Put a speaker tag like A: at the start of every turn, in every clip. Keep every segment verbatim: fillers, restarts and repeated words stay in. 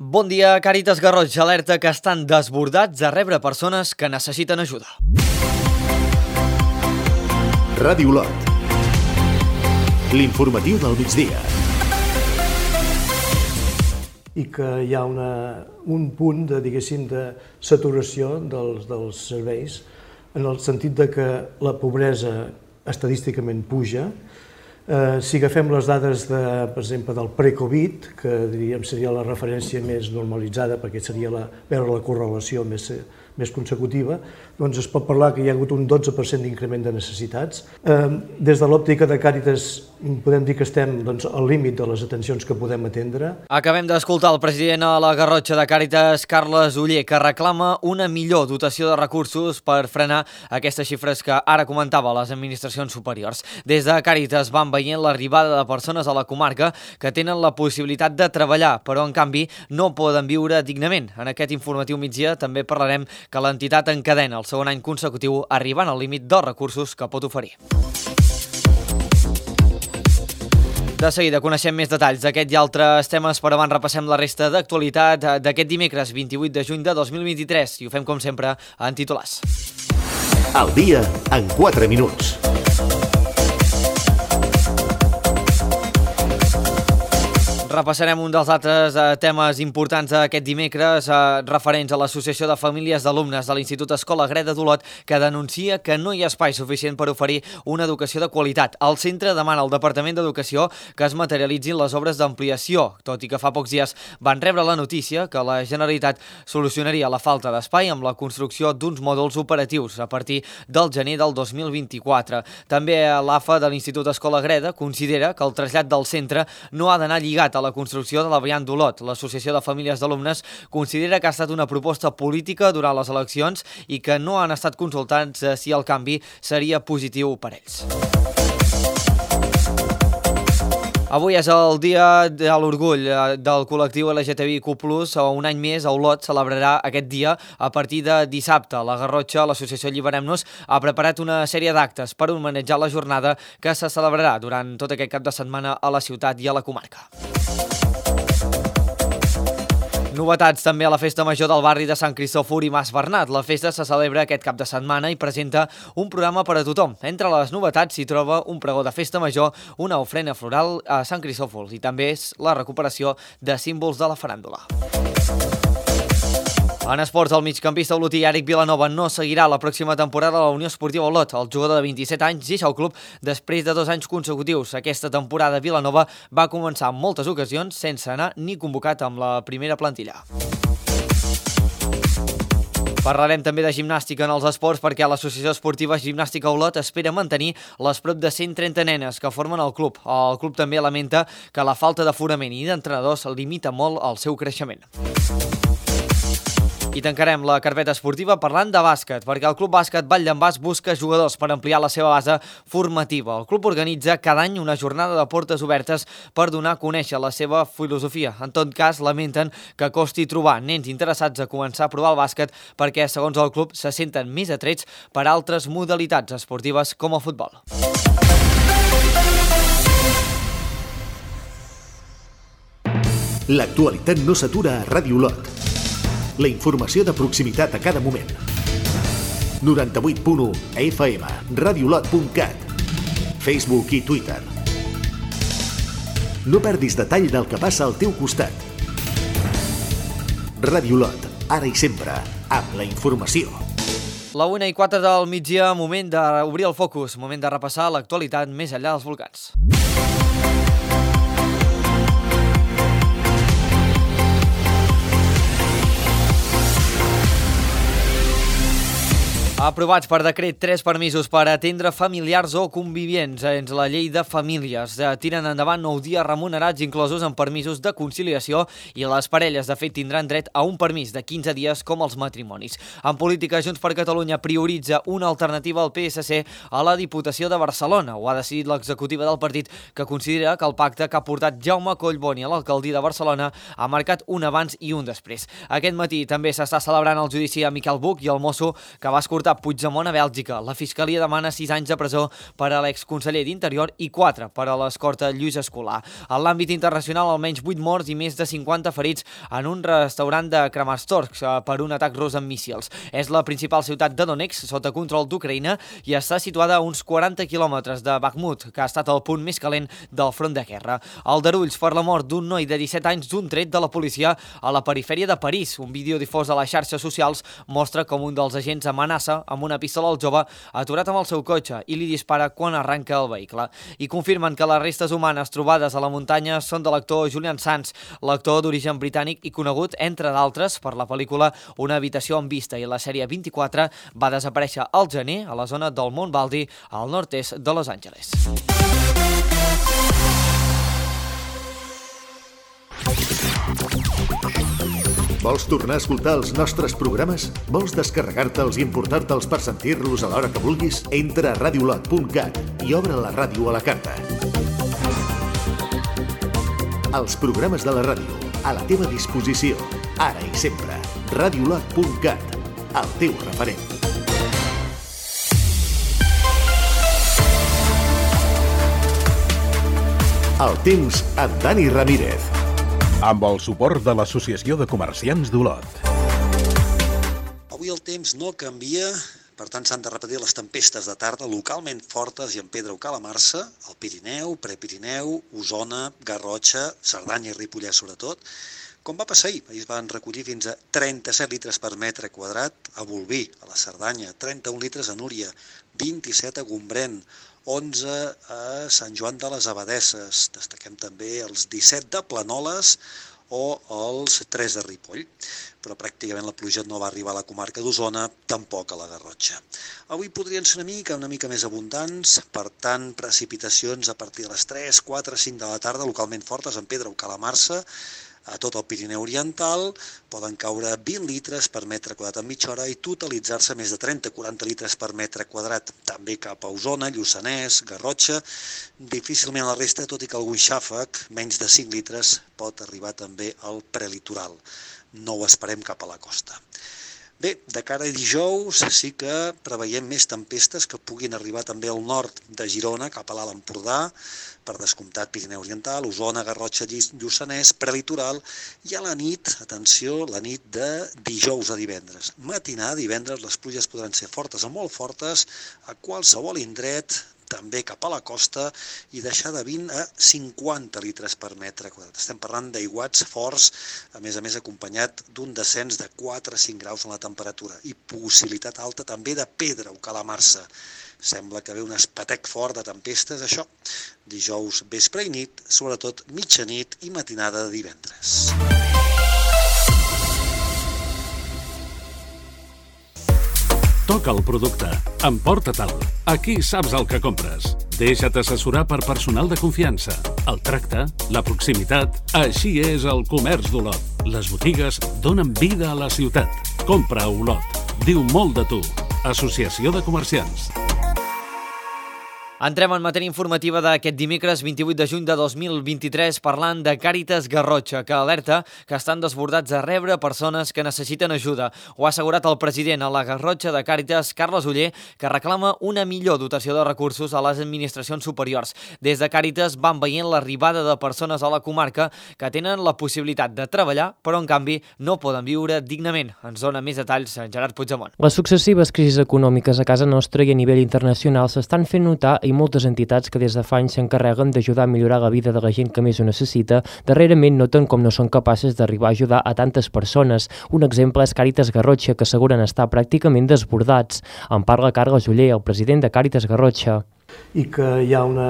A: Bon dia, Càritas Garroig alerta que estan desbordats a rebre persones que necessiten ajuda.
B: Ràdio Olot. L'informatiu del migdia.
C: I que hi ha una, un punt de, diguéssim, de saturació dels, dels serveis, en el sentit de que la pobresa estadísticament puja. Eh, si agafem les dades, de, per exemple, del pre-Covid, que diríem seria la referència més normalitzada, perquè seria la, veure la correlació més, més consecutiva, doncs es pot parlar que hi ha hagut un dotze per cent d'increment de necessitats. Eh, des de l'òptica de Càritas podem dir que estem doncs, al límit de les atencions que podem atendre.
A: Acabem d'escoltar el president a la Garrotxa de Càritas, Carles Oller, que reclama una millor dotació de recursos per frenar aquestes xifres que ara comentava les administracions superiors. Des de Càritas van veient l'arribada de persones a la comarca que tenen la possibilitat de treballar, però en canvi no poden viure dignament. En aquest informatiu migdia també parlarem que l'entitat encadena el segon any consecutiu arribant al límit dels recursos que pot oferir. De seguida coneixem més detalls d'aquest i altres temes, però abans repassem la resta d'actualitat d'aquest dimecres vint-i-vuit de juny de dos mil vint-i-tres i ho fem com sempre en titulars.
B: El dia en quatre minuts.
A: Repassarem un dels altres eh, temes importants d'aquest dimecres eh, referents a l'Associació de Famílies d'Alumnes de l'Institut Escola Greda d'Olot, que denuncia que no hi ha espai suficient per oferir una educació de qualitat. El centre demana al Departament d'Educació que es materialitzin les obres d'ampliació, tot i que fa pocs dies van rebre la notícia que la Generalitat solucionaria la falta d'espai amb la construcció d'uns mòduls operatius a partir del gener del dos mil vint-i-quatre. També l'A F A de l'Institut Escola Greda considera que el trasllat del centre no ha d'anar lligat a la construcció de la variant d'Olot. L'Associació de Famílies d'Alumnes considera que ha estat una proposta política durant les eleccions i que no han estat consultats si el canvi seria positiu per ells. Avui és el dia de l'orgull del col·lectiu L G T B I Q plus, o un any més a Olot celebrarà aquest dia a partir de dissabte. La Garrotxa, l'associació Alliberem-nos, ha preparat una sèrie d'actes per homenatjar la jornada que se celebrarà durant tot aquest cap de setmana a la ciutat i a la comarca. Novetats també a la Festa Major del barri de Sant Cristòfol i Mas Bernat. La festa se celebra aquest cap de setmana i presenta un programa per a tothom. Entre les novetats s'hi troba un pregó de Festa Major, una ofrena floral a Sant Cristòfol i també és la recuperació de símbols de la faràndula. En esports, el migcampista olotí Eric Vilanova no seguirà la pròxima temporada a la Unió Esportiva Olot. El jugador de vint-i-set anys deixa el club després de dos anys consecutius. Aquesta temporada Vilanova va començar en moltes ocasions sense anar ni convocat amb la primera plantilla. Parlarem també de gimnàstica en els esports perquè l'Associació Esportiva Gimnàstica Olot espera mantenir les prop de cent trenta nenes que formen el club. El club també lamenta que la falta d'aforament i d'entrenadors limita molt el seu creixement. I tancarem la carpeta esportiva parlant de bàsquet, perquè el Club Bàsquet Vall d'en Bas busca jugadors per ampliar la seva base formativa. El club organitza cada any una jornada de portes obertes per donar a conèixer la seva filosofia. En tot cas, lamenten que costi trobar nens interessats a començar a provar el bàsquet perquè, segons el club, se senten més atrets per altres modalitats esportives com el futbol.
B: L'actualitat no s'atura a Ràdio Olot. La informació de proximitat a cada moment. noranta-vuit punt u F M, radiolot punt cat, Facebook i Twitter. No perdis detall del que passa al teu costat. Ràdio Olot, ara i sempre, amb la informació.
A: La una i quatre del migdia, moment d'obrir el focus, moment de repassar l'actualitat més enllà dels volcans. Aprovats per decret tres permisos per atendre familiars o convivients dins la llei de famílies. Tiren endavant nou dies remunerats inclosos en permisos de conciliació i les parelles de fet tindran dret a un permís de quinze dies com els matrimonis. En política, Junts per Catalunya prioritza una alternativa al P S C a la Diputació de Barcelona. Ho ha decidit l'executiva del partit, que considera que el pacte que ha portat Jaume Collboni a l'alcaldia de Barcelona ha marcat un abans i un després. Aquest matí també s'està celebrant el judici a Miquel Buch i el mosso que va escortar Puigdemont a Bèlgica. La Fiscalia demana sis anys de presó per a l'exconseller d'Interior i quatre per a l'escorta Lluís Escolà. En l'àmbit internacional, almenys vuit morts i més de cinquanta ferits en un restaurant de Kramatorsk per un atac rus amb míssils. És la principal ciutat de Donetsk, sota control d'Ucraïna, i està situada a uns quaranta quilòmetres de Bakhmut, que ha estat el punt més calent del front de guerra. Aldarulls per la mort d'un noi de disset anys d'un tret de la policia a la perifèria de París. Un vídeo difós a les xarxes socials mostra com un dels agents amenaça amb una pistola al jove aturat amb el seu cotxe i li dispara quan arranca el vehicle. I confirmen que les restes humanes trobades a la muntanya són de l'actor Julian Sands, l'actor d'origen britànic i conegut, entre d'altres, per la pel·lícula Una habitació amb vista i la sèrie vint-i-quatre. Va desaparèixer al gener a la zona del Mont Baldy, al nord-est de Los Angeles.
B: Vols tornar a escoltar els nostres programes? Vols descarregar-te'ls i importar-te'ls per sentir-los a l'hora que vulguis? Entra a radiolot punt cat i obre la ràdio a la carta. Els programes de la ràdio, a la teva disposició, ara i sempre. radiolot punt cat, el teu referent. El temps amb Dani Ramírez.
D: Amb el suport de l'Associació de Comerciants d'Olot.
E: Avui el temps no canvia, per tant s'han de repetir les tempestes de tarda localment fortes i en pedra o calamarsa, al Pirineu, Prepirineu, Osona, Garrotxa, Cerdanya i Ripollès sobretot. Com va passar ahir? Ahir es van recollir fins a trenta-set litres per metre quadrat a Bolvir, a la Cerdanya, trenta-un litres a Núria, vint-i-set a Gombrèn, onze a Sant Joan de les Abadesses, destaquem també els disset de Planoles o els tres de Ripoll, però pràcticament la pluja no va arribar a la comarca d'Osona, tampoc a la Garrotxa. Avui podrien ser una mica, una mica més abundants, per tant, precipitacions a partir de les tres, quatre, cinc de la tarda, localment fortes en pedra o calamarsa. A tot el Pirineu Oriental poden caure vint litres per metre quadrat en mitja hora i totalitzar-se més de trenta a quaranta litres per metre quadrat. També cap a Osona, Lluçanès, Garrotxa. Difícilment a la resta, tot i que algun xàfec, menys de cinc litres, pot arribar també al prelitoral. No ho esperem cap a la costa. Bé, de cara a dijous sí que preveiem més tempestes que puguin arribar també al nord de Girona, cap a l'Alt Empordà, per descomptat Pirineu Oriental, Osona, Garrotxa, Lluçanès, prelitoral, i a la nit, atenció, la nit de dijous a divendres. Matinada, divendres, les pluges podran ser fortes o molt fortes a qualsevol indret, també cap a la costa, i deixar de vint a cinquanta litres per metre quadrat. Estem parlant d'aiguats forts, a més a més acompanyat d'un descens de quatre a cinc graus en la temperatura i possibilitat alta també de pedra o calamarsa. Sembla que ve un espetec fort de tempestes, això, dijous vespre i nit, sobretot mitjanit i matinada de divendres.
F: Toca el producte. Emporta-te'l. Aquí saps el que compres. Deixa't assessorar per personal de confiança. El tracte, la proximitat, així és el comerç d'Olot. Les botigues donen vida a la ciutat. Compra a Olot. Diu molt de tu. Associació de Comerciants.
A: Entrem en matèria informativa d'aquest dimecres vint-i-vuit de juny de dos mil vint-i-tres parlant de Càritas Garrotxa, que alerta que estan desbordats a rebre persones que necessiten ajuda. Ho ha assegurat el president a la Garrotxa de Càritas, Carles Oller, que reclama una millor dotació de recursos a les administracions superiors. Des de Càritas van veient l'arribada de persones a la comarca que tenen la possibilitat de treballar, però en canvi no poden viure dignament. Ens dona més detalls en Gerard Puigdemont.
G: Les successives crisis econòmiques a casa nostra i a nivell internacional s'estan fent notar i moltes entitats que des de fa anys s'encarreguen d'ajudar a millorar la vida de la gent que més ho necessita, darrerament noten com no són capaces d'arribar a ajudar a tantes persones. Un exemple és Càritas Garrotxa, que asseguren estar pràcticament desbordats. En parla Carles Oller, el president de Càritas Garrotxa.
C: I que hi ha una,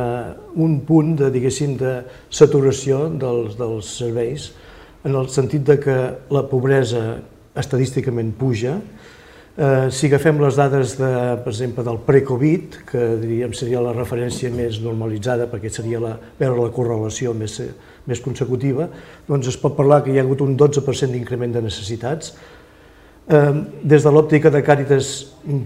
C: un punt de, diguéssim, de saturació dels, dels serveis, en el sentit de que la pobresa estadísticament puja. Eh, si agafem les dades, de, per exemple, del pre-Covid, que diríem seria la referència més normalitzada, perquè seria la, veure la correlació més, més consecutiva, doncs es pot parlar que hi ha hagut un dotze per cent d'increment de necessitats. Des de l'òptica de Càritas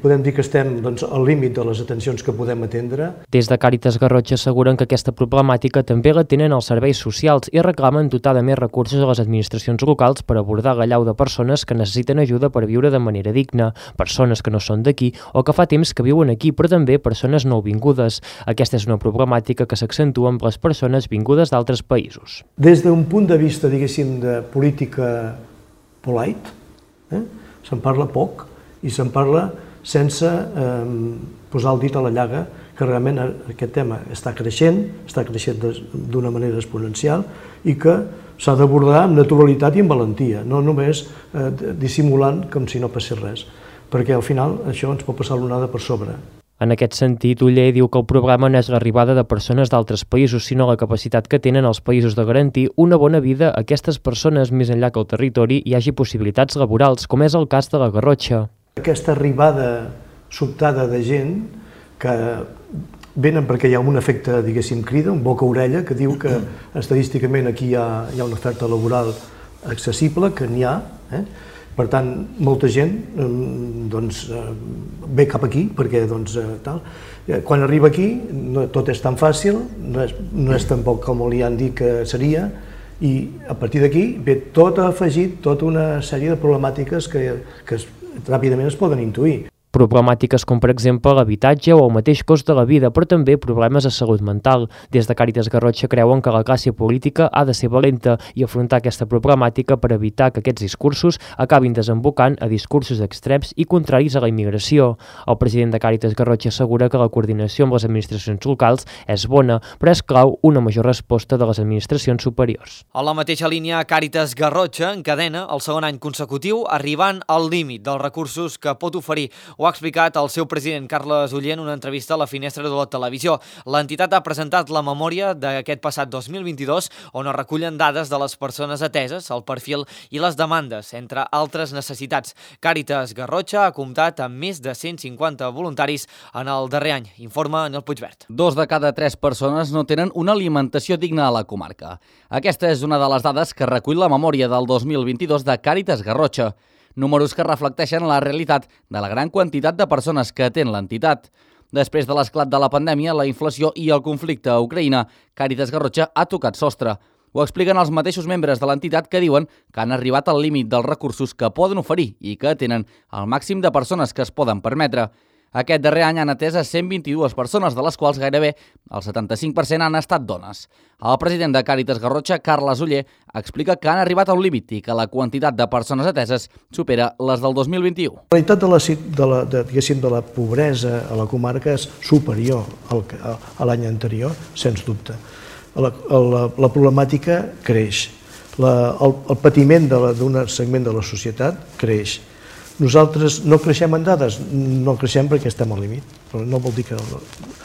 C: podem dir que estem doncs, al límit de les atencions que podem atendre.
G: Des de Càritas Garrotxa asseguren que aquesta problemàtica també la tenen els serveis socials i reclamen dotar de més recursos a les administracions locals per abordar l'allau de persones que necessiten ajuda per viure de manera digna, persones que no són d'aquí o que fa temps que viuen aquí, però també persones nouvingudes. Aquesta és una problemàtica que s'accentua amb les persones vingudes d'altres països.
C: Des d'un punt de vista, diguéssim, de política polite, eh? se'n parla poc i se'n parla sense eh, posar el dit a la llaga, que realment aquest tema està creixent, està creixent d'una manera exponencial i que s'ha d'abordar amb naturalitat i amb valentia, no només eh, dissimulant com si no passés res, perquè al final això ens pot passar l'onada per sobre.
G: En aquest sentit, Oller diu que el problema no és l'arribada de persones d'altres països, sinó la capacitat que tenen els països de garantir una bona vida a aquestes persones més enllà que al territori hi hagi possibilitats laborals, com és el cas de la Garrotxa.
C: Aquesta arribada sobtada de gent que venen perquè hi ha un efecte, diguéssim, crida, un boca-orella, que diu que estadísticament aquí hi ha, hi ha una oferta laboral accessible, que n'hi ha, eh? Per tant, molta gent doncs, ve cap aquí, perquè doncs, tal. Quan arriba aquí no, tot és tan fàcil, no és, no és tampoc com li han dit que seria, i a partir d'aquí ve tot afegit, tota una sèrie de problemàtiques que, que es, ràpidament es poden intuir.
G: Problemàtiques com, per exemple, l'habitatge o el mateix cost de la vida, però també problemes de salut mental. Des de Càritas Garrotxa creuen que la classe política ha de ser valenta i afrontar aquesta problemàtica per evitar que aquests discursos acabin desembocant a discursos extrems i contraris a la immigració. El president de Càritas Garrotxa assegura que la coordinació amb les administracions locals és bona, però és clau una major resposta de les administracions superiors.
A: A la mateixa línia, Càritas Garrotxa encadena el segon any consecutiu arribant al límit dels recursos que pot oferir. Ho ha explicat el seu president, Carles Oller, en una entrevista a la Finestra de la Televisió. L'entitat ha presentat la memòria d'aquest passat dos mil vint-i-dos, on es recullen dades de les persones ateses, el perfil i les demandes, entre altres necessitats. Càritas Garrotxa ha comptat amb més de cent cinquanta voluntaris en el darrer any, informa Nel Puigvert.
H: Dos de cada tres persones no tenen una alimentació digna a la comarca. Aquesta és una de les dades que recull la memòria del dos mil vint-i-dos de Càritas Garrotxa. Números que reflecteixen la realitat de la gran quantitat de persones que atén l'entitat. Després de l'esclat de la pandèmia, la inflació i el conflicte a Ucraïna, Càritas Garrotxa ha tocat sostre. Ho expliquen els mateixos membres de l'entitat que diuen que han arribat al límit dels recursos que poden oferir i que atenen el màxim de persones que es poden permetre. Aquest darrer any han atès a cent vint-i-dues persones, de les quals gairebé el setanta-cinc per cent han estat dones. El president de Càritas Garrotxa, Carles Oller, explica que han arribat a un límit i que la quantitat de persones ateses supera les del dos mil vint-i-u.
C: La realitat de la, de la, de, de la pobresa a la comarca és superior al, a l'any anterior, sens dubte. La, la, la problemàtica creix, la, el, el patiment d'un segment de la societat creix. Nosaltres no creixem en dades, no creixem perquè estem al límit, però no vol dir que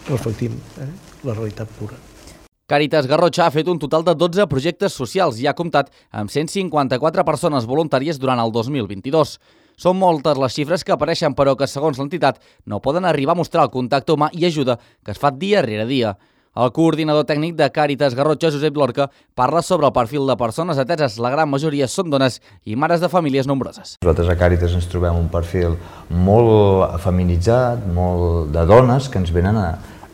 C: reflectim eh, la realitat pura.
H: Càritas Garrotxa ha fet un total de dotze projectes socials i ha comptat amb cent cinquanta-quatre persones voluntàries durant el dos mil vint-i-dos. Són moltes les xifres que apareixen, però que, segons l'entitat, no poden arribar a mostrar el contacte humà i ajuda que es fa dia rere dia. El coordinador tècnic de Càritas Garrotxa, Josep Lorca, parla sobre el perfil de persones ateses. La gran majoria són dones i mares de famílies nombroses.
I: Nosaltres a Càritas ens trobem un perfil molt feminitzat, molt de dones que ens venen a,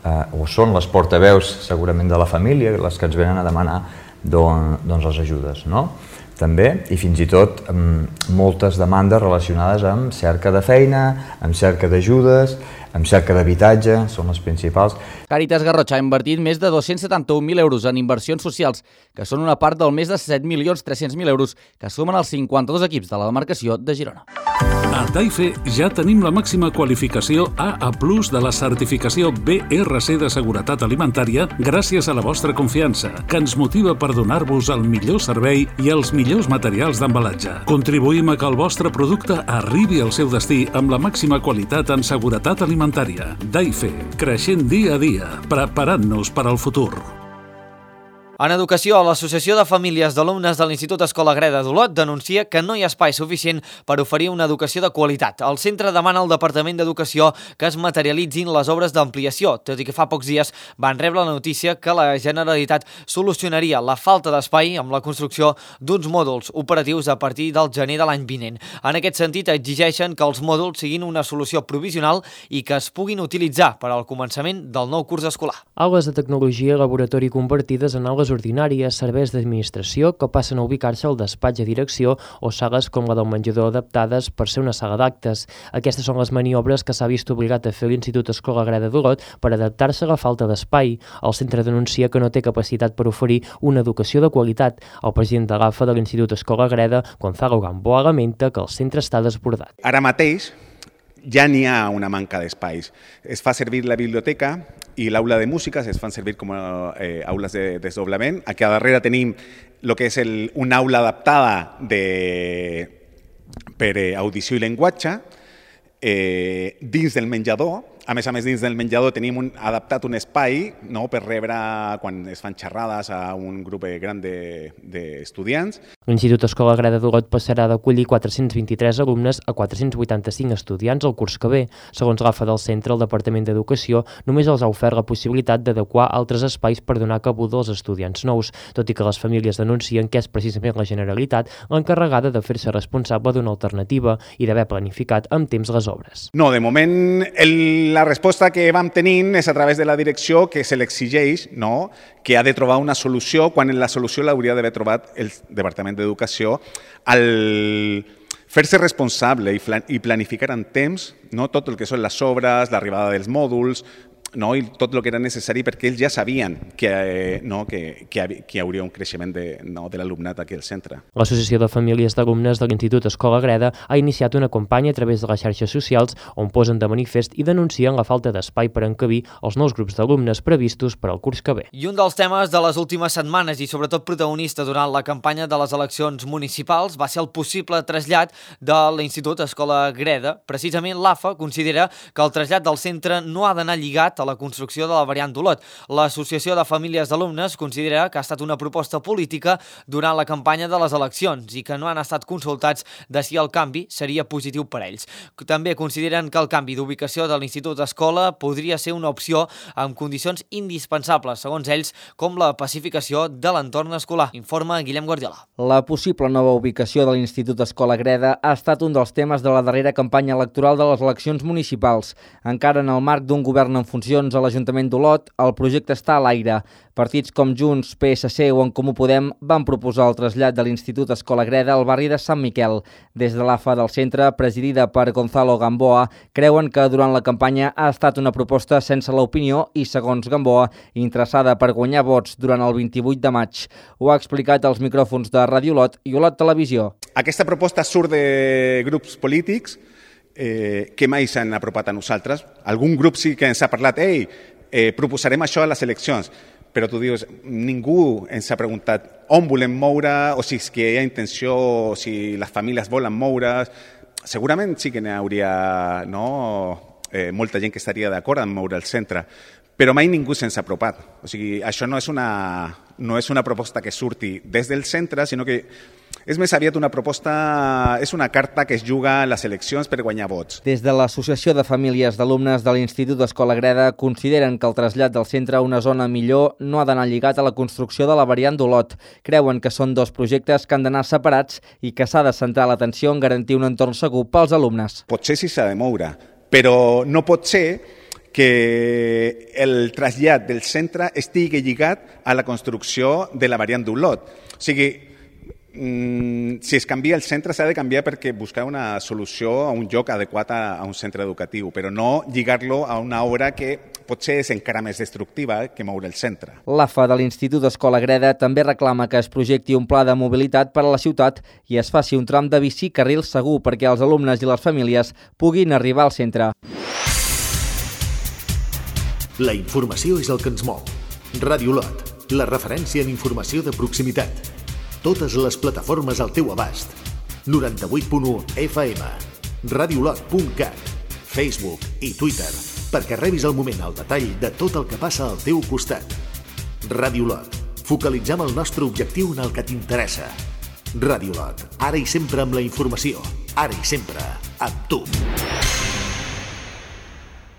I: a o són les portaveus segurament de la família, les que ens venen a demanar don, doncs les ajudes, no? També, i fins i tot amb moltes demandes relacionades amb cerca de feina, amb cerca d'ajudes, amb cerca d'habitatge, són les principals.
H: Càritas Garrotxa ha invertit més de dos-cents setanta-un mil euros en inversions socials, que són una part del més de set milions tres-cents mil euros que sumen els cinquanta-dos equips de la demarcació de Girona.
F: A Taife ja tenim la màxima qualificació A A plus de la certificació B R C de seguretat alimentària gràcies a la vostra confiança, que ens motiva per donar-vos el millor servei i els millors materials d'embalatge. Contribuïm a que el vostre producte arribi al seu destí amb la màxima qualitat en seguretat alimentària. Taife, creixent dia a dia, preparant-nos per al futur.
A: En educació, l'Associació de Famílies d'Alumnes de l'Institut Escola Greda d'Olot denuncia que no hi ha espai suficient per oferir una educació de qualitat. El centre demana al Departament d'Educació que es materialitzin les obres d'ampliació, tot i que fa pocs dies van rebre la notícia que la Generalitat solucionaria la falta d'espai amb la construcció d'uns mòduls operatius a partir del gener de l'any vinent. En aquest sentit, exigeixen que els mòduls siguin una solució provisional i que es puguin utilitzar per al començament del nou curs escolar.
G: Aules de tecnologia i laboratori compartides en aules ordinàries, serveis d'administració que passen a ubicar-se al despatx de direcció o sales com la del menjador adaptades per ser una sala d'actes. Aquestes són les maniobres que s'ha vist obligat a fer l'Institut Escola Greda d'Olot per adaptar-se a la falta d'espai. El centre denuncia que no té capacitat per oferir una educació de qualitat. El president de l'A F A de l'Institut Escola Greda, Gonzalo Gamboa, lamenta que el centre està desbordat.
J: Ara mateix ja n'hi ha una manca d'espais. Es fa servir la biblioteca i l'aula de música es fan servir com a eh, aules de desdoblament. Aquí a darrere tenim el que és el, una aula adaptada de, per eh, audició i llenguatge. Eh, dins del menjador, a més a més dins del menjador tenim un, adaptat un espai, no, per rebre quan es fan xerrades a un grup gran d'estudiants. De,
G: L'Institut Escola Greda d'Olot passarà d'acollir quatre-cents vint-i-tres alumnes a quatre-cents vuitanta-cinc estudiants el curs que ve. Segons l'A F A del centre, el Departament d'Educació només els ha ofert la possibilitat d'adequar altres espais per donar cabuda als estudiants nous, tot i que les famílies denuncien que és precisament la Generalitat l'encarregada de fer-se responsable d'una alternativa i d'haver planificat amb temps les obres.
J: No, de moment el, la resposta que vam tenint és a través de la direcció que se l'exigeix, no?, que ha de trobar una solució quan la solució l'hauria d'haver trobat el Departament d'Educació al fer-se responsable i planificar en temps, no, tot el que són les obres, l'arribada dels mòduls, no, i tot el que era necessari perquè ells ja sabien que, eh, no, que, que, que hi hauria un creixement de, no, de l'alumnat aquí al centre.
G: L'Associació de Famílies d'Alumnes de l'Institut Escola Greda ha iniciat una campanya a través de les xarxes socials on posen de manifest i denuncien la falta d'espai per encabir els nous grups d'alumnes previstos per al curs que ve.
A: I un dels temes de les últimes setmanes i sobretot protagonista durant la campanya de les eleccions municipals va ser el possible trasllat de l'Institut Escola Greda. Precisament l'A F A considera que el trasllat del centre no ha d'anar lligat a la construcció de la variant d'Olot. L'Associació de Famílies d'Alumnes considera que ha estat una proposta política durant la campanya de les eleccions i que no han estat consultats de si el canvi seria positiu per a ells. També consideren que el canvi d'ubicació de l'Institut Escola podria ser una opció amb condicions indispensables, segons ells, com la pacificació de l'entorn escolar. Informa Guillem Guardiola.
H: La possible nova ubicació de l'Institut Escola Greda ha estat un dels temes de la darrera campanya electoral de les eleccions municipals. Encara en el marc d'un govern en funcions a l'Ajuntament d'Olot, el projecte està a l'aire. Partits com Junts, P S C o En Comú Podem van proposar el trasllat de l'Institut Escola Greda al barri de Sant Miquel. Des de l'A F A del centre, presidida per Gonzalo Gamboa, creuen que durant la campanya ha estat una proposta sense l'opinió i, segons Gamboa, interessada per guanyar vots durant el vint-i-vuit de maig. Ho ha explicat als micròfons de Ràdio Olot i Olot Televisió.
J: Aquesta proposta surt de grups polítics Eh, que mai s'han apropat a nosaltres. Algun grup sí que ens ha parlat, ei, eh, proposarem això a les eleccions, però tu dius, ningú ens ha preguntat on volem moure, o si és que hi ha intenció, o si les famílies volen moure. Segurament sí que n'hi hauria, no, eh, molta gent que estaria d'acord en moure el centre, però mai ningú se'ns ha apropat. O sigui, això no és una, no és una proposta que surti des del centre, sinó que és més aviat una proposta, és una carta que es juga a les eleccions per guanyar vots.
H: Des de l'Associació de Famílies d'Alumnes de l'Institut Escola Greda consideren que el trasllat del centre a una zona millor no ha d'anar lligat a la construcció de la variant d'Olot. Creuen que són dos projectes que han d'anar separats i que s'ha de centrar l'atenció en garantir un entorn segur pels alumnes.
J: Potser sí s'ha de moure, però no pot ser que el trasllat del centre estigui lligat a la construcció de la variant d'Olot. O sigui, si es canvia el centre s'ha de canviar perquè buscar una solució a un lloc adequat a, a un centre educatiu, però no lligar-lo a una obra que potser és encara més destructiva que moure el centre.
H: L'A F A de l'Institut Escola Greda també reclama que es projecti un pla de mobilitat per a la ciutat i es faci un tram de bici carril segur perquè els alumnes i les famílies puguin arribar al centre.
B: La informació és el que ens mou. Ràdio Olot, la referència en informació de proximitat. Totes les plataformes al teu abast. noranta-vuit punt u F M, radiolot punt cat, Facebook i Twitter, perquè rebis al moment el detall de tot el que passa al teu costat. Ràdio Olot, Focalitzem el nostre objectiu en el que t'interessa. Ràdio Lot, ara i sempre amb la informació. Ara i sempre amb tu.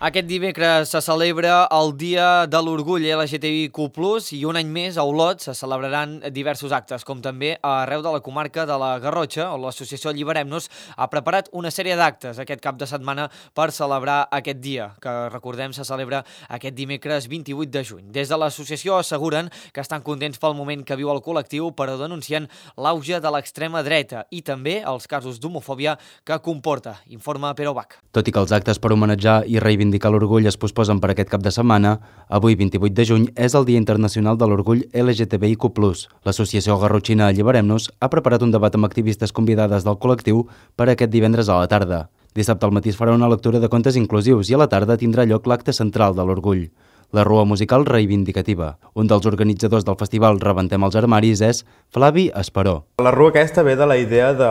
A: Aquest dimecres se celebra el Dia de l'Orgull L G T B I Q plus, i un any més a Olot se celebraran diversos actes, com també arreu de la comarca de la Garrotxa, on l'associació Alliberem-nos ha preparat una sèrie d'actes aquest cap de setmana per celebrar aquest dia, que recordem se celebra aquest dimecres vint-i-vuit de juny. Des de l'associació asseguren que estan contents pel moment que viu el col·lectiu, però denuncien l'auge de l'extrema dreta i també els casos d'homofòbia que comporta. Informa Pere Bach.
K: Tot i que els actes per homenatjar i reivindicar l'orgull es posposen per aquest cap de setmana, avui, vint-i-vuit de juny, és el Dia Internacional de l'Orgull L G T B I Q plus. L'associació garrotxina Alliberem-nos ha preparat un debat amb activistes convidades del col·lectiu per aquest divendres a la tarda. Dissabte al matí es farà una lectura de contes inclusius i a la tarda tindrà lloc l'acte central de l'orgull, la rua musical reivindicativa. Un dels organitzadors del festival Rebentem els armaris és Flavi Esperó.
L: La rua aquesta ve de la idea de,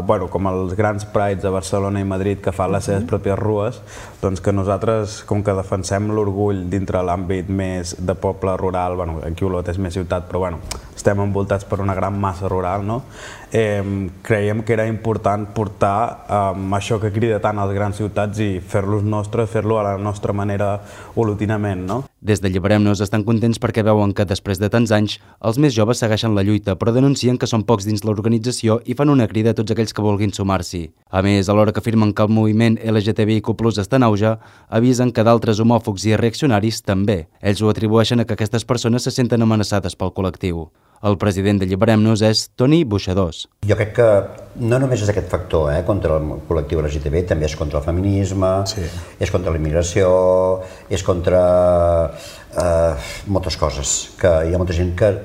L: bueno, com els grans prides de Barcelona i Madrid que fan les seves pròpies rues, doncs que nosaltres, com que defensem l'orgull dintre l'àmbit més de poble rural, bueno, aquí Olot és més ciutat, però bueno, estem envoltats per una gran massa rural, no? Eh, creiem que era important portar eh, això que crida tant a les grans ciutats i fer-los nostres, fer-lo a la nostra manera olotinament, no?
K: Des d'Alliberem-nos estan contents perquè veuen que després de tants anys els més joves segueixen la lluita, però denuncien que són pocs dins l'organització i fan una crida a tots aquells que vulguin sumar-s'hi. A més, alhora que afirmen que el moviment L G T B I Q plus està en auge, avisen que d'altres homòfobs i reaccionaris també. Ells ho atribueixen a que aquestes persones se senten amenaçades pel col·lectiu. El president d'Alliberem-nos és Toni Buixadors.
M: Jo crec que no només és aquest factor eh, contra el col·lectiu L G T B, també és contra el feminisme, sí. És contra la immigració, és contra eh, moltes coses, que hi ha molta gent que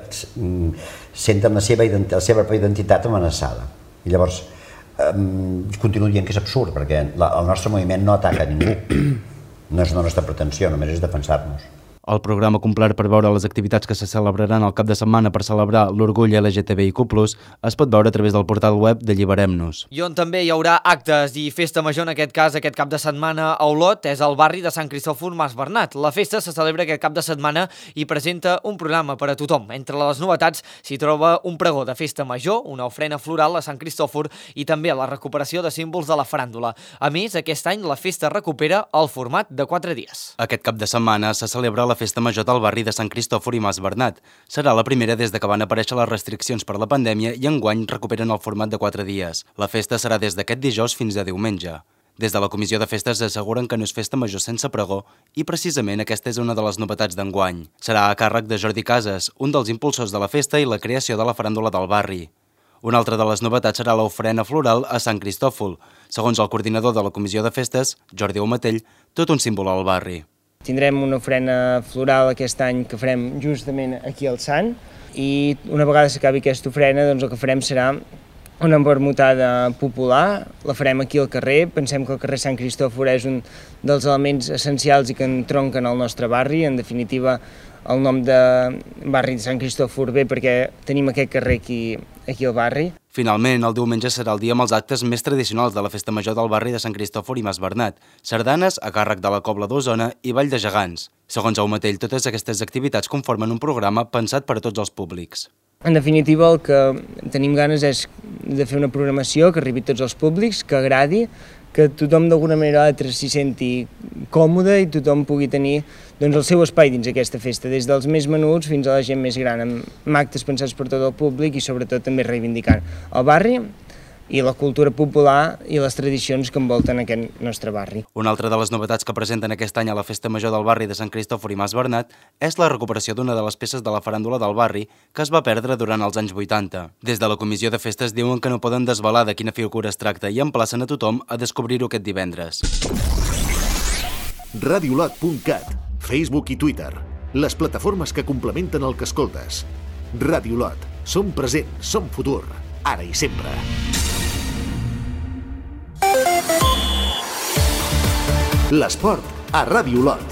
M: senten la seva, la seva identitat amenaçada. I llavors, eh, continuo dient que és absurd, perquè la, el nostre moviment no ataca a ningú. No és la nostra pretensió, només és defensar-nos.
K: El programa complet per veure les activitats que se celebraran el cap de setmana per celebrar l'orgull L G T B I Q plus es pot veure a través del portal web d'Alliberem-nos.
A: I on també hi haurà actes i festa major, en aquest cas, aquest cap de setmana a Olot, és el barri de Sant Cristòfor Mas Bernat. La festa se celebra aquest cap de setmana i presenta un programa per a tothom. Entre les novetats s'hi troba un pregó de festa major, una ofrena floral a Sant Cristòfor i també la recuperació de símbols de la faràndula. A més, aquest any la festa recupera el format de quatre dies.
K: Aquest cap de setmana se celebra la la festa major del barri de Sant Cristòfor i Mas Bernat. Serà la primera des de que van aparèixer les restriccions per la pandèmia i enguany recuperen el format de quatre dies. La festa serà des d'aquest dijous fins a diumenge. Des de la Comissió de Festes asseguren que no és festa major sense pregó i precisament aquesta és una de les novetats d'enguany. Serà a càrrec de Jordi Casas, un dels impulsors de la festa i la creació de la faràndula del barri. Una altra de les novetats serà l'ofrena floral a Sant Cristòfol. Segons el coordinador de la Comissió de Festes, Jordi Aumatell, tot un símbol al barri.
N: Tindrem una ofrena floral aquest any que farem justament aquí al Sant i una vegada s'acabi aquesta ofrena doncs el que farem serà una vermutada popular, la farem aquí al carrer. Pensem que el carrer Sant Cristòfor és un dels elements essencials i que entronquen al nostre barri. En definitiva, el nom de barri de Sant Cristòfor ve perquè tenim aquest carrer aquí, aquí al barri.
K: Finalment, el diumenge serà el dia amb els actes més tradicionals de la festa major del barri de Sant Cristòfor i Mas Bernat, sardanes a càrrec de la Cobla d'Osona i Ball de Gegants. Segons Aumatell, totes aquestes activitats conformen un programa pensat per a tots els públics.
N: En definitiva, el que tenim ganes és de fer una programació que arribi a tots els públics, que agradi, que tothom d'alguna manera o altra s'hi senti còmode i tothom pugui tenir doncs, el seu espai dins aquesta festa, des dels més menuts fins a la gent més gran, amb actes pensats per tot el públic i sobretot també reivindicant el barri i la cultura popular i les tradicions que envolten aquest nostre barri.
K: Una altra de les novetats que presenten aquest any a la festa major del barri de Sant Cristòfor i Mas Bernat és la recuperació d'una de les peces de la faràndula del barri que es va perdre durant els anys vuitanta. Des de la Comissió de Festes diuen que no poden desvelar de quina figura es tracta i emplacen a tothom a descobrir-ho aquest divendres.
B: radiolot punt cat, Facebook i Twitter, les plataformes que complementen el que escoltes. Radiolot, som present, som futur, ara i sempre. L'esport a Ràdio Olot.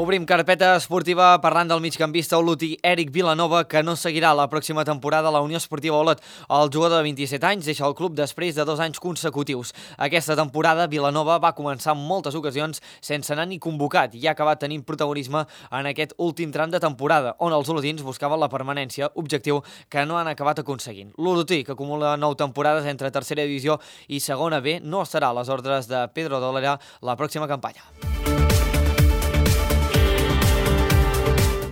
A: Obrim carpeta esportiva parlant del migcampista olotí Eric Vilanova, que no seguirà la pròxima temporada a la Unió Esportiva Olot. El jugador de vint-i-set anys deixa el club després de dos anys consecutius. Aquesta temporada Vilanova va començar en moltes ocasions sense anar ni convocat i ha acabat tenint protagonisme en aquest últim tram de temporada, on els olotins buscaven la permanència, objectiu que no han acabat aconseguint. L'olotí, que acumula nou temporades entre tercera divisió i segona B, no estarà a les ordres de Pedro Dolera la pròxima campanya.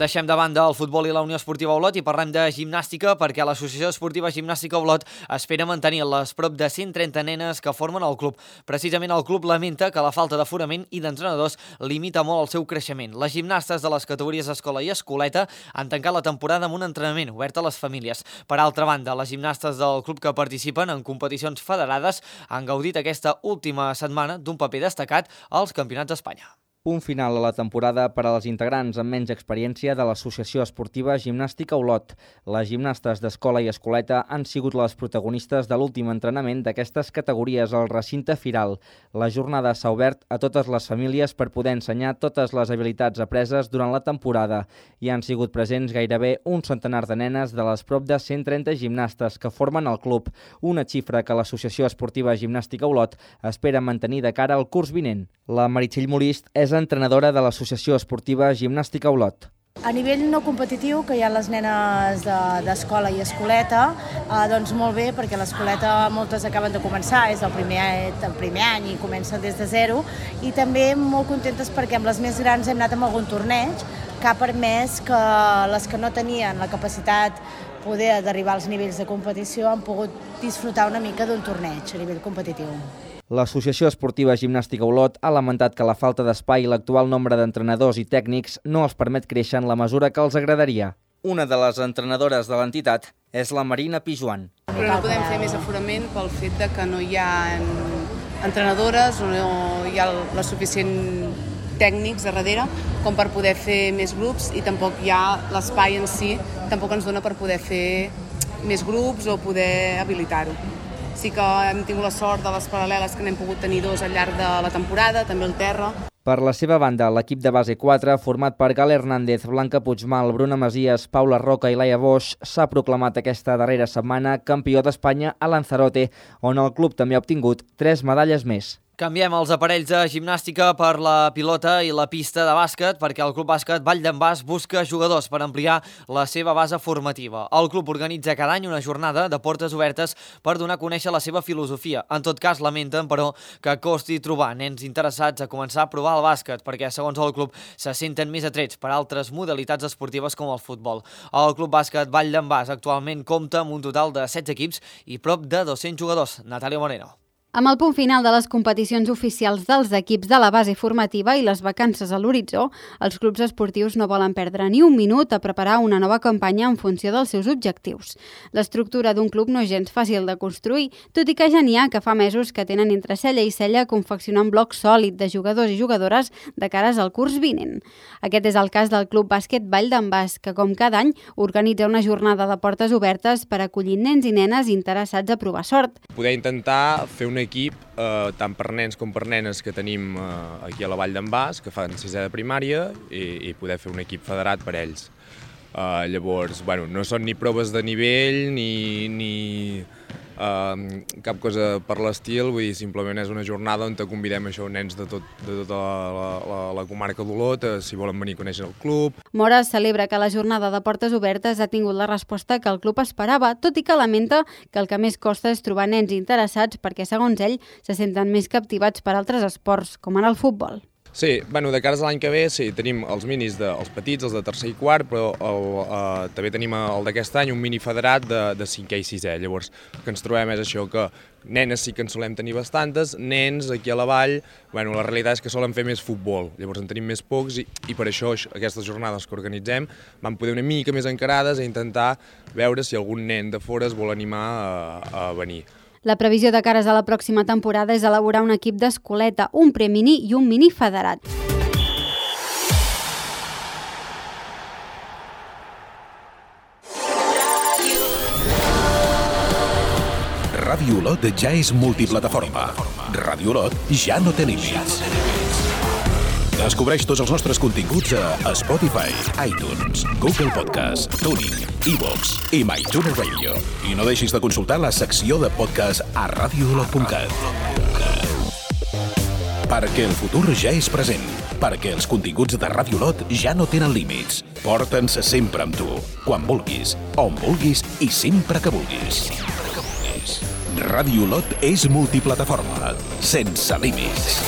A: Deixem de banda el futbol i la Unió Esportiva Olot i parlem de gimnàstica, perquè l'Associació Esportiva Gimnàstica Olot espera mantenir les prop de cent trenta nenes que formen el club. Precisament el club lamenta que la falta d'aforament i d'entrenadors limita molt el seu creixement. Les gimnastes de les categories escola i escoleta han tancat la temporada amb un entrenament obert a les famílies. Per altra banda, les gimnastes del club que participen en competicions federades han gaudit aquesta última setmana d'un paper destacat als Campionats d'Espanya.
O: Punt final a la temporada per a les integrants amb menys experiència de l'Associació Esportiva Gimnàstica Olot. Les gimnastes d'escola i escoleta han sigut les protagonistes de l'últim entrenament d'aquestes categories al recinte firal. La jornada s'ha obert a totes les famílies per poder ensenyar totes les habilitats apreses durant la temporada. Hi han sigut presents gairebé un centenar de nenes de les prop de cent trenta gimnastes que formen el club, una xifra que l'Associació Esportiva Gimnàstica Olot espera mantenir de cara al curs vinent. La Meritxell Molist és entrenadora de l'Associació Esportiva Gimnàstica Olot.
P: A nivell no competitiu, que hi ha les nenes d'escola i escoleta, eh, doncs molt bé, perquè l'escoleta moltes acaben de començar, és el primer, el primer any i comencen des de zero, i també molt contentes perquè amb les més grans hem anat amb algun torneig que ha permès que les que no tenien la capacitat poder d'arribar als nivells de competició han pogut disfrutar una mica d'un torneig a nivell competitiu.
O: L'Associació Esportiva Gimnàstica Olot ha lamentat que la falta d'espai i l'actual nombre d'entrenadors i tècnics no els permet créixer en la mesura que els agradaria. Una de les entrenadores de l'entitat és la Marina Pijuan.
Q: Però no podem fer més aforament pel fet de que no hi ha entrenadores o no hi ha la suficient tècnics a darrere com per poder fer més grups, i tampoc hi ha l'espai en si, tampoc ens dona per poder fer més grups o poder habilitar-ho. Sí que hem tingut la sort de les paral·leles que n'hem pogut tenir dos al llarg de la temporada, també el terra.
O: Per la seva banda, l'equip de base quatre, format per Gal Hernández, Blanca Puigmal, Bruna Masies, Paula Roca i Laia Bosch, s'ha proclamat aquesta darrera setmana campió d'Espanya a Lanzarote, on el club també ha obtingut tres medalles més.
A: Canviem els aparells de gimnàstica per la pilota i la pista de bàsquet, perquè el Club Bàsquet Vall d'en Bas busca jugadors per ampliar la seva base formativa. El club organitza cada any una jornada de portes obertes per donar a conèixer la seva filosofia. En tot cas, lamenten, però, que costi trobar nens interessats a començar a provar el bàsquet, perquè, segons el club, se senten més atrets per altres modalitats esportives com el futbol. El Club Bàsquet Vall d'en Bas actualment compta amb un total de setze equips i prop de dos-cents jugadors. Natàlia Moreno.
R: Amb el punt final de les competicions oficials dels equips de la base formativa i les vacances a l'horitzó, els clubs esportius no volen perdre ni un minut a preparar una nova campanya en funció dels seus objectius. L'estructura d'un club no és gens fàcil de construir, tot i que ja n'hi ha que fa mesos que tenen entre cella i cella confeccionant bloc sòlid de jugadors i jugadores de cares al curs vinent. Aquest és el cas del Club Bàsquet Vall d'en Bas, que com cada any organitza una jornada de portes obertes per acollir nens i nenes interessats a provar sort.
S: Poder intentar fer un equip, eh, tant per nens com per nenes que tenim eh, aquí a la Vall d'en Bas, que fan sisè de primària, i, i poder fer un equip federat per ells. Eh, llavors, bueno, no són ni proves de nivell, ni, ni eh, cap cosa per l'estil, vull dir, simplement és una jornada on te convidem això, nens de, tot, de tota la, la, la comarca d'Olot, eh, si volen venir a conèixer el club.
R: Mora celebra que la jornada de portes obertes ha tingut la resposta que el club esperava, tot i que lamenta que el que més costa és trobar nens interessats perquè, segons ell, se senten més captivats per altres esports, com ara el futbol.
S: Sí, bueno, de cara a l'any que ve, sí, tenim els minis, de, els petits, els de tercer i quart, però el, eh, també tenim el d'aquest any un mini federat de, de cinquè i sisè. Llavors, el que ens trobem és això, que nenes sí que en solem tenir bastantes, nens aquí a la vall, bueno, la realitat és que solen fer més futbol, llavors en tenim més pocs i, i per això aquestes jornades que organitzem van poder una mica més encarades a intentar veure si algun nen de fora es vol animar a, a venir.
R: La previsió de cares a la pròxima temporada és elaborar un equip d'escoleta, un premini i un mini federat.
D: Ràdio Olot ja és multiplataforma. Ràdio Olot ja no té límits. Descobreix tots els nostres continguts a Spotify, iTunes, Google Podcast, TuneIn, iVoox i MyTuner Radio. I no deixis de consultar la secció de podcast a radio olot punt cat. Perquè el futur ja és present. Perquè els continguts de Ràdio Olot ja no tenen límits. Porta'ns sempre amb tu, quan vulguis, on vulguis i sempre que vulguis. Ràdio Olot és multiplataforma, sense límits.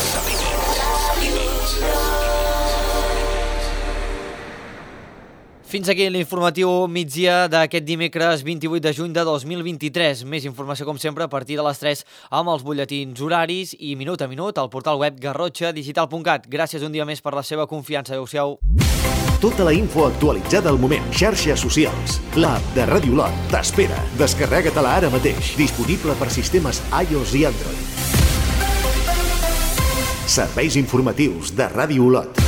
A: Fins aquí l'informatiu migdia d'aquest dimecres vint-i-vuit de juny de dos mil vint-i-tres. Més informació, com sempre, a partir de les tres amb els butlletins horaris i minut a minut al portal web garrotxa digital punt cat. Gràcies un dia més per la seva confiança. Adéu-siau.
B: Tota la info actualitzada al moment. Xarxes socials. L'app de Ràdio Olot t'espera. Descarrega-te-la ara mateix. Disponible per sistemes iOS i Android. Serveis informatius de Ràdio Olot.